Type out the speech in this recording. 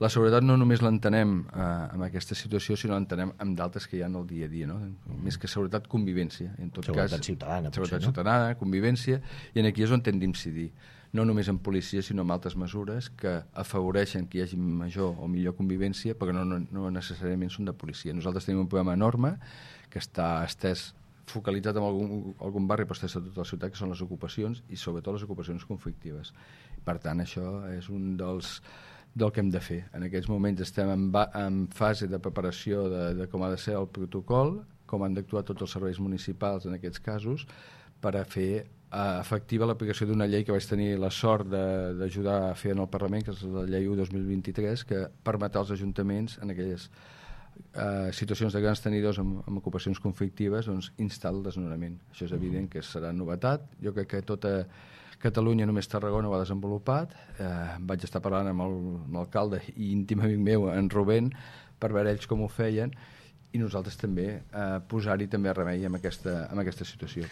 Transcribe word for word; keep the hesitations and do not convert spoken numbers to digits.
la seguretat no només l'entenem eh, en aquesta situació, sinó l'entenem amb d'altres que hi ha en el dia a dia, no? Mm. Més que seguretat, convivència. En tot seguretat cas, ciutadana, seguretat potser, no? ciutadana, convivència, i en aquí és on hem d'incidir. No només en policia, sinó en altres mesures que afavoreixen que hi hagi major o millor convivència, perquè no, no, no necessàriament són de policia. Nosaltres tenim un programa enorme que està estès, focalitzat en algun, algun barri, però estès a tota la ciutat, que són les ocupacions, i sobretot les ocupacions conflictives. Per tant, això és un dels del que hem de fer. En aquests moments estem en, va, en fase de preparació de, de com ha de ser el protocol, com han d'actuar tots els serveis municipals en aquests casos, per a fer eh, efectiva l'aplicació d'una llei que vaig tenir la sort d'ajudar a fer en el Parlament, que és la llei u dos mil vint-i-tres, que permetrà als ajuntaments en aquelles eh, situacions de grans tenidors amb, amb ocupacions conflictives, doncs instar el desnonament. Això és evident que serà novetat. Jo crec que tota Catalunya, només Tarragona ho ha desenvolupat. Eh, vaig estar parlant amb el, amb l'alcalde i íntim amic meu, en Rubén, per veure ells com ho feien, i nosaltres també eh, posar-hi també remei en aquesta, en aquesta situació.